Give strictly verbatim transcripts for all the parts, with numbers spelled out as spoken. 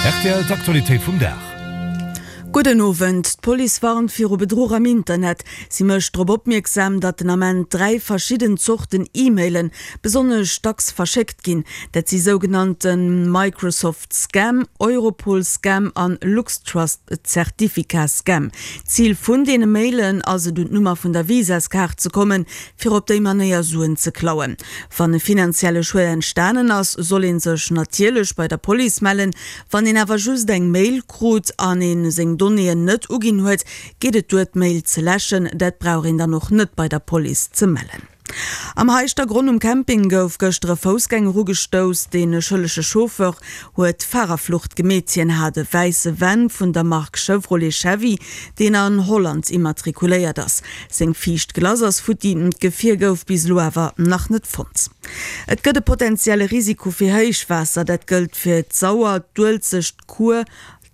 Rtl, D'Aktualitéit vum Dag. Gudden Owend. D'Police warnt viru Bedruch am Internet. Si mécht drop opmierksam, datt den Ament dräi verschidden Zorten E-Mailen besonnesch dacks verschéckt ginn. Dat si sougenannte Microsoft Scam, Europol Scam an LuxTrust Zertifikat Scam. Zil vun deene Mailen ass et un d'Nummer vun der Visaskaart ze kommen, fir op déi Manéier Suen ze klauen. Wann e finanzielle Schued entstanen ass, soll ee sech natierlech bei der Police mellen. Wann een awer just eng Mail krut an ee seng Donnéeën net uginn huet, geet et duer d'Mail ze läschen. Dat brauch een dann och net bei der Police ze mellen. Am Heischtergronn um Camping gouf gëschter e Foussgänger ugestouss. De schëllege Chauffeur huet Farerflucht gemeet. Hien hat e wäisse Van vun der Mark Chevrolet Chevy, deen an Holland immatrikuléiert ass. Seng viischt Glace ass futti, d'Gefier gouf bis elo awer nach net fonnt. Et gëtt e potenzielle Risiko fir Héichwaasser, dat gëllt fir d'Sauer, d'Uelzecht, d'Kuer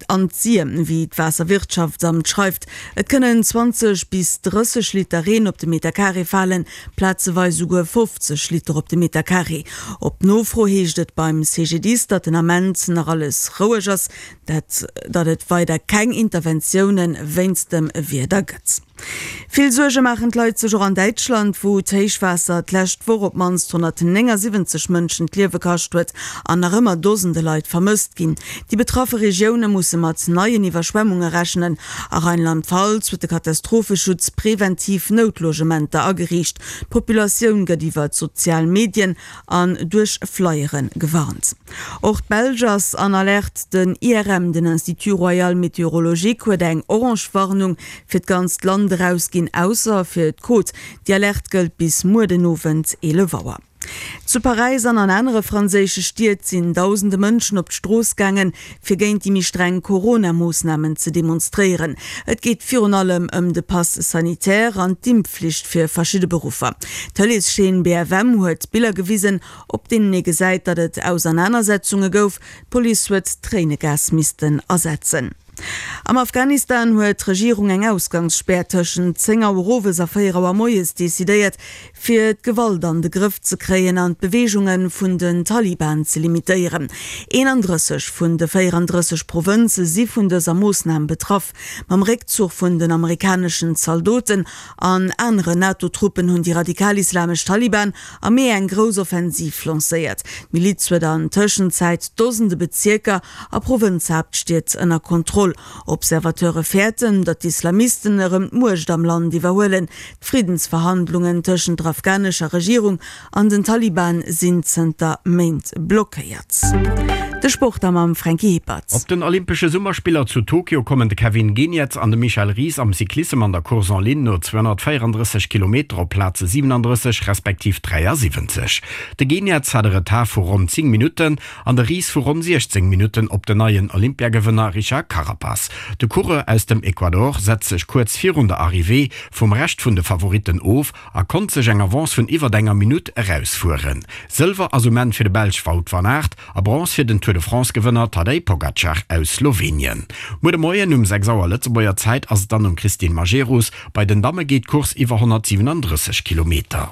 an d'Sir, wéi d'Waasserwirtschaftsamt schreift. Et kënnen zwanzeg bis drësseg Liter Reen op de Metercarré falen, plazeweis esouguer fofzeg Liter op de Metercarré. Op Nofro heescht et beim C G D I S, datt den Ament nach alles roueg ass, dat datt et weider keng Interventioune wéinst dem Wieder gëtt. Vill Suerge maachen d'Leit sech och an Däitschland, wou d'Héichwaasser d'lescht Woch op d'mannst honnertnéngasiwwenzeg Mënschen d'Liewe kascht huet an nach ëmmer Dosende Leit vermësst ginn. Déi betraffe Regioune musse mat neien Iwwerschwemmunge rechnen. A Rheinland-Pfalz huet de Katastropheschutz preventiv Noutlogementer ageriicht. D'Populatioun gëtt iwwer d'sozial Medien an duerch Flyere gewarnt. Och d'Belsch ass an Alerte. Den I R M, den Institut Royal Météorologique, huet eng orange Warnung fir d'ganzt Land erausginn, ausser fir d'Côte. Déi Alerte gëllt bis muer den Owend eelef Auer. Zu Paräis an an anere franséische Stied sinn dausende Mënschen op d'Strooss gaangen, fir géint déi méi streng Corona-Moossnamen ze demonstréieren. Et geet virun allem ëm de Pass sanitaire an d'Impfflicht fir verschidde Beruffer. D'Tëleeschaîne B F M huet Biller gewisen, op deenen ee gesäit, datt et Ausernanersetzunge gouf. D'Police huet Tréinegas missten asetzen. Am Afghanistan huet d'Regierung eng Ausgangsspär tëschent zéng Auer owes a véier Auer moies decidéiert, fir d'Gewalt an de Grëff ze kréien an d'Beweegunge vun den Taliban ze limitéieren. eenandrësseg vun de véierandrësseg Provënze si vun dëser Moossnam betraff. Mam Réckzuch vun den amerikaneschen Zaldoten an aneren NATO-Truppen hunn déi radikal-islamesch Taliban am Mee eng grouss Offensiv lancéiert. D'Miliz huet an Tëschenzäit Dosende Bezierker a Provënzhaaptstied ënner Kontroll. Observateure fäerten, datt d'Islamisten erëm d'Muecht am Land iwwerhuelen. D'Friddensverhandlungen tëschent der afghanescher Regierung an den Taliban sinn zënter Méint blockéiert. De Sport da mam Franky Hippert. Op den Olympesche Summerspiller zu Tokio kommen de Kevin Geniets an de Michel Ries am Cyclissem an der Course en ligne no zweehonnertvéierandrësseg Kilometer op Plaze siewenandrësseg respektiv dräiasiwwenzeg. De Geniets hat e Retard vu ronn zéng Minutten an de Ries vu ronn siechzéng Minutten op den neien Olympiagewënner Richard Carapaz. De Coureur aus dem Ecuador setzt sech kuerz virun der Arrivée vum Rescht vun de Favoritten of a konnt sech eng Avance vun iwwer enger Minutt erausfueren. Sëlwer ass um Enn fir de Belsch Wout van Aert a Bronz fir den Tour de France-Gewënner Tadej Pogacar aus Slowenien. Muer de Moien um sechs Auer Lëtzebuerger Zäit ass et dann um Christine Majerus. Bei den Damme geet d'Course iwwer honnertsiwenandrësseg Kilometer.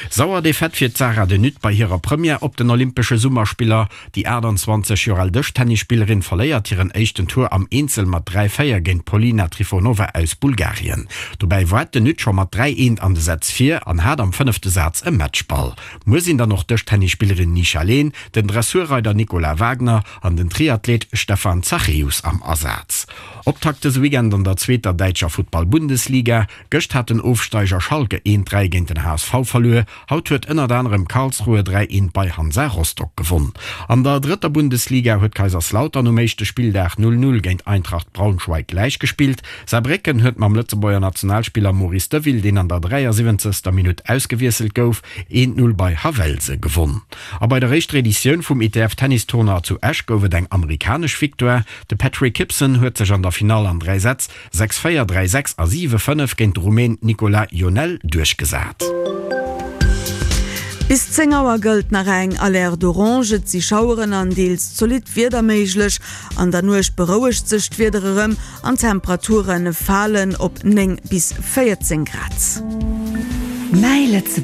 Sauer Defaite fir d'Sarah de Nutte bei hirer Première op den Olympesche Summerspiller. Déi aachtanzwanzeg Joer al Dëschtennisspillerin verléiert hiren éischten Tour am Eenzel mat dräi véier géint d'Polina Trifonova aus Bulgarien. Dobäi war d'de Nutte scho mat dräi eent an de Sätz vir an hat am fënnefte Saz e Matchball. Muer sinn dann och d'Dëschtennisspillerin Nisha Lehn, den Dressurreider Nicolas Wagner an den Triathlet Stefan Zachäus am Asaz. Optakt dëse Weekend an der zweeter däitscher Futtball-Bundesliga. Gëscht hat den Ofsteiger Schalke eent dräi géint den H S V verluer. Haut huet ënnert anerem Karlsruhe dräi eent bei Hansa Rostock gewonn. An der drëtter Bundesliga huet Kaiserslautern um éischte Spilldag null null géint Eintracht Braunschweig gläichgespillt. Saarbrécken huet mam Lëtzebuerger Nationalspiller Maurice Deville, deen an der dräiasiwwenzegster Minutt ausgewiesselt gouf, eent null bei Havelse gewonn. A bei der éischter Editioun vum I T F-Tennistournoi zu Esch gouf et eng amerikanesch Victoire. De Patrick Kypson huet sech an der Finall an dräi Sätz, sechs véier, dräi sechs a siwe fënnef, géint de Rumän Nicolas Ionel duerchgesat. Bis zéng Auer gëllt nach eng Alerte orange. Et si Schaueren an deels zolidd Wieder méiglech. An der Nuecht berouegt sech d'Wieder erëm an d'Temperature falen op néng bis véierzéng Grad. Mäi Lëtzebuerg.